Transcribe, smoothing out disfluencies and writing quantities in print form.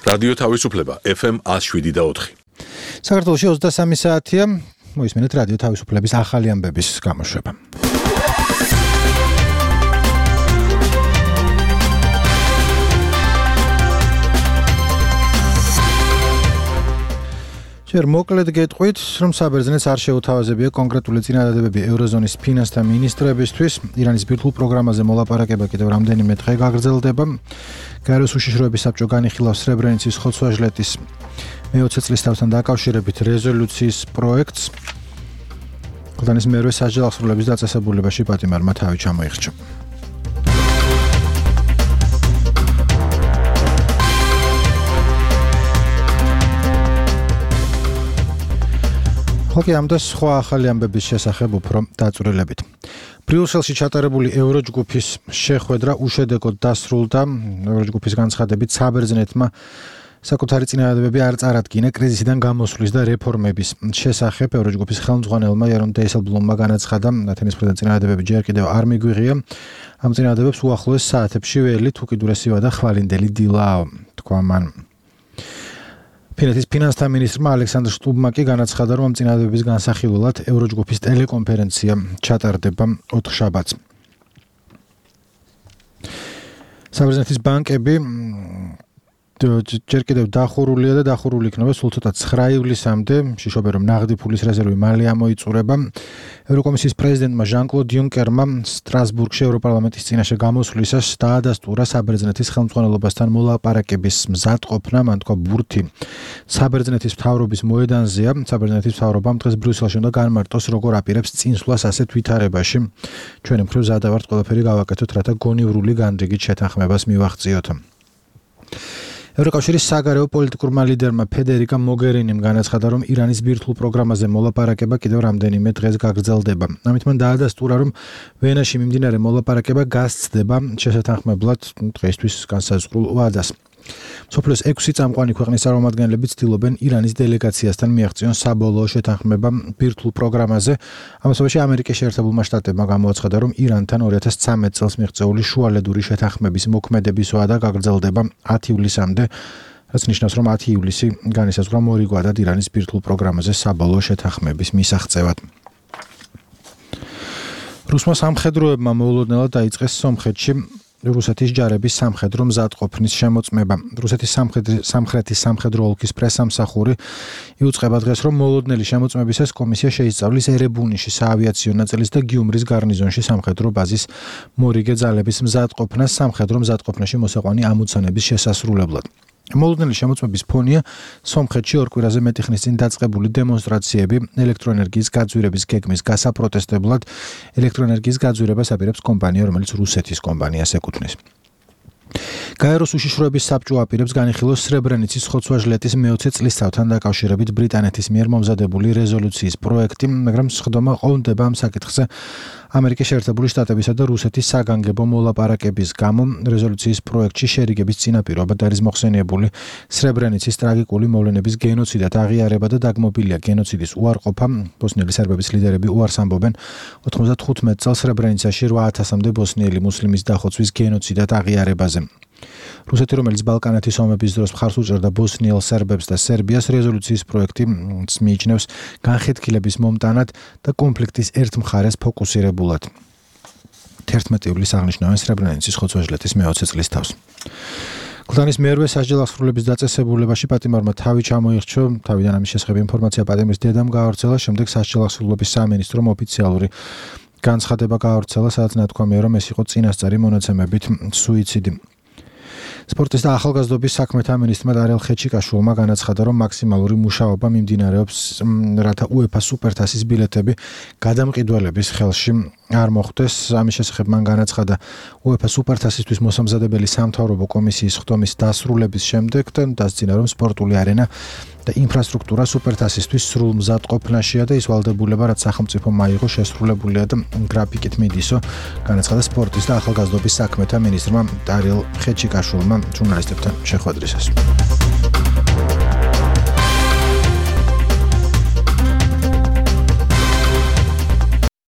რადიო თავისუფლება FM 107.4. საქართველოში 23 საათია. მოისმენთ რადიო თავისუფლების ახალი ამბების გამოშვება. ჯერ მოკლედ გეტყვით, რომ საბერძნეთს არ შეუთავაზებია კონკრეტული წინადადებები ევროზონის ფინანსთა მინისტრებისთვის. ირანის ბირთვულ პროგრამაზე მოლაპარაკება კიდევ რამდენიმე დღე გაგრძელდება. გაეროს უშიშროების საბჭო განიხილავს სრებრენიცის ხოცვა-ჟლეტის მე-20 წლის თავთან დაკავშირებით რეზოლუციის პროექტს. ქვეყნის მერვე სასჯელ აღსრულების დაწესებულებაში პატიმარმა თავი ჩამოიხჩა. ხოქი ამ და სხვა ახალი ამბების შესახებ უფრო დაწვრილებით. ბრიუსელში ჩატარებული ევროჯგუფის შეხვედრა უშედეგოდ დასრულდა. ევროჯგუფის განცხადებით საბერძნეთმა საკუთარი წინადადებები არ წარადგინა კრიზისიდან გამოსვლის და რეფორმების შესახებ. ევროჯგუფის ხელმძღვანელმა იარონ დეისელბლუმმა განაცხადა, ათენის პრეზიდენტის წინადადებები ჯერ კიდევ არ მიგვიღია. ამ წინადადებებს უახლოეს საათებში ველი, უკიდურესივა და ხვალინდელი დილაა, თქვა მან. ფინეთის ფინანსთა მინისტრმა ალექსანდრ შტუბმა კი განაცხადა, რომ ამ წინადადებების განსახილველად ევროჯგუფის ტელეკონფერენცია ჩატარდება 4 შაბათს. საბერძნეთის ბანკები ჯერ კიდევ დახურულია და დახურული იქნება სულ ცოტა 9 ივლისამდე. შიშობენ, რომ ნაღდი ფულის რეზერვი მალე ამოიწურება. ევროკომისიის პრეზიდენტმა ჟან-კლოდ იუნკერმა სტრასბურგში ევროპარლამენტის წინაშე გამოსვლისას დაადასტურა საბერძნეთის ხელმძღვანელობასთან მოლაპარაკების მზადყოფნა. მან თქვა, ბურთი საბერძნეთის მთავრობის მოედანზეა. საბერძნეთის მთავრობამ დღეს ბრიუსელში უნდა განმარტოს, როგორ აპირებს წინსვლას ასეთ ვითარებაში. ჩვენი მხრივ ზადა ვართ ყველაფერი გავაკეთოთ, რათა გონივრული განრიგით შეთანხმებას მივაღწიოთ. ევროკავშირის საგარეო პოლიტიკურმა ლიდერმა ფედერიკა მოგერინიმ განაცხადა, რომ ირანის ბირთვულ პროგრამაზე მოლაპარაკება კიდევ რამდენიმე დღეს გაგრძელდება. ამით მან დაადასტურა, რომ ვენაში მიმდინარე მოლაპარაკება გასცდება შესათანხმებლად დღეისთვის განსაზღვრულ ვადას. მსოფლიოს 6 წამყვანი ქვეყნის წარმომადგენლები ცდილობენ ირანის დელეგაციასთან მიაღწიონ საბოლოო შეთანხმება ბირთვულ პროგრამაზე. ამასობაში ამერიკის შეერთებულმა შტატებმა გამოაცხადა, რომ ირანთან 2013 წელს მიღწეული შუალედური შეთანხმების მოქმედების ვადა გაგრძელდება 10 ივლისამდე, რაც ნიშნავს, რომ 10 ივლისი განისაზღვრა მორიგვადად ირანის ბირთვულ პროგრამაზე საბოლოო შეთანხმების მისაღწევად. რუსმა სამხედროებმა მოულოდნელად დაიწყეს სომხეთში რუსეთის ჯარების სამხედრო მზადყოფნის შემოწმება. რუსეთის სამხრეთის სამხედრო ოლქის პრესამსახური იუწყება დღეს, რომ მოულოდნელი შემოწმებისას კომისია შეისწავლის ერებუნიში საავიაციო ნაწილის და გიუმრის გარნიზონში სამხედრო ბაზის მორიგე ძალების მზადყოფნას სამხედრო მზადყოფნაში მოსაყვანი ამოცანების შესასრულებლად. მოულოდნელი შემოწმების ფონია სომხეთში 2 კვირაზე მეტი ხნის წინ დაწყებული დემონსტრაციები ელექტროენერგიის გაძვირების გეგმის გასაპროტესტებლად. ელექტროენერგიის გაძვირებას აპირებს კომპანია, რომელიც რუსეთის კომპანიას ეკუთვნის. გაეროს უშიშროების საბჭო აპირებს განიხილოს სრებრენიცის ხოცვა-ჟლეტის მე-20 წლის თავთან დაკავშირებით ბრიტანეთის მიერ მომზადებული რეზოლუციის პროექტი, მაგრამ სხდომა ყოლმდება ამ საკითხზე ამერიკის შეერთებული შტატებისა და რუსეთის საგანგებო მოლაპარაკების გამო. რეზოლუციის პროექტში შერიგების წინაპირობად არის მოხსენიებული სრებრენიცის ტრაგიკული მოვლენების გენოციდად აღიარება და დაგმობილია გენოციდის უარყოფა. ბოსნიელი სერბების ლიდერები უარს ამბობენ 95 წელს სრებრენიცაში 8000-მდე ბოსნიელი მუსლიმის დახოცვის გენოციდად აღიარებაზე. რუსეთი, რომელიც ბალკანეთის ომების დროს მხარს უჭერდა ბოსნიელ სერბებს და სერბიას, რეზოლუციის პროექტი მიიჩნევს განხეთქილების მომტანად და კონფლიქტის ერთ მხარეს ფოკუსირებულად. 11 ივლისს აღნიშნავენ სრებრენიცის ხოცვა-ჟლეტის მე-20 წლის თავს. ქვეყნის მერვე სასჯელ აღსრულების დაწესებულებაში პატიმარმა თავი ჩამოიხჩა. თავიდან ამის შესახებ ინფორმაცია პატიმრის დედამ გაავრცელა, შემდეგ სასჯელ აღსრულების სამინისტრომ ოფიციალური განცხადება გაავრცელა, სადაც ნათქვამია, რომ ეს იყო წინასწარი მონაცემებით სუიციდი. სპორტის და ახალგაზრდობის საქმეთა მინისტრმა დარიელ ხეჩიკაშვილმა განაცხადა, რომ მაქსიმალური მუშაობა მიმდინარეობს, რათა UEFA სუპერთასის ბილეთები გადამყიდველების ხელში არ მოხვდეს. ამის შესახებ მან განაცხადა UEFA სუპერთასისთვის მოსამზადებელი სამთავრობო კომისიის ხდომის დასრულების შემდეგ და დასძინა, რომ სპორტული არენა და ინფრასტრუქტურა სუპერთასისთვის სრულ მზადყოფნაშია და ის ვალდებულება, რაც სახელმწიფო მაიღო, შესრულებულია და გრაფიკით მიდისო, განაცხადა სპორტის და ახალგაზრდობის საქმეთა მინისტრმა დარიელ ხეჩიკაშვილმა ჟურნალისტებთან შეხვედრისას.